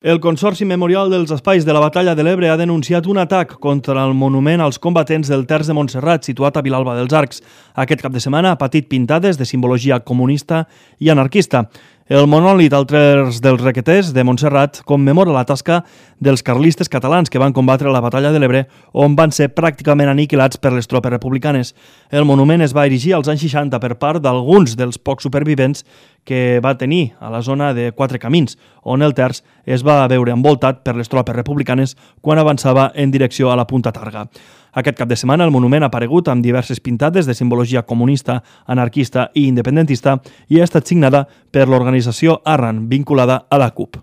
El Consorci Memorial dels Espais de la Batalla de l'Ebre ha denunciat un atac contra el monument als combatents del Terç de Montserrat, situat a Vilalba dels Arcs. Aquest cap de setmana ha patit pintades de simbologia comunista i anarquista. El monòlit al Terç dels Requeters de Montserrat commemora la tasca dels carlistes catalans que van combatre la Batalla de l'Ebre, on van ser pràcticament aniquilats per les tropes republicanes. El monument es va erigir als anys 60 per part d'alguns dels pocs supervivents que va tenir a la zona de Quatre Camins, on el Terç es va veure envoltat per les tropes republicanes quan avançava en direcció a la Punta Targa. Aquest cap de setmana el monument ha aparegut amb diverses pintades de simbologia comunista, anarquista i independentista i ha estat signada per l'organització Arran, vinculada a la CUP.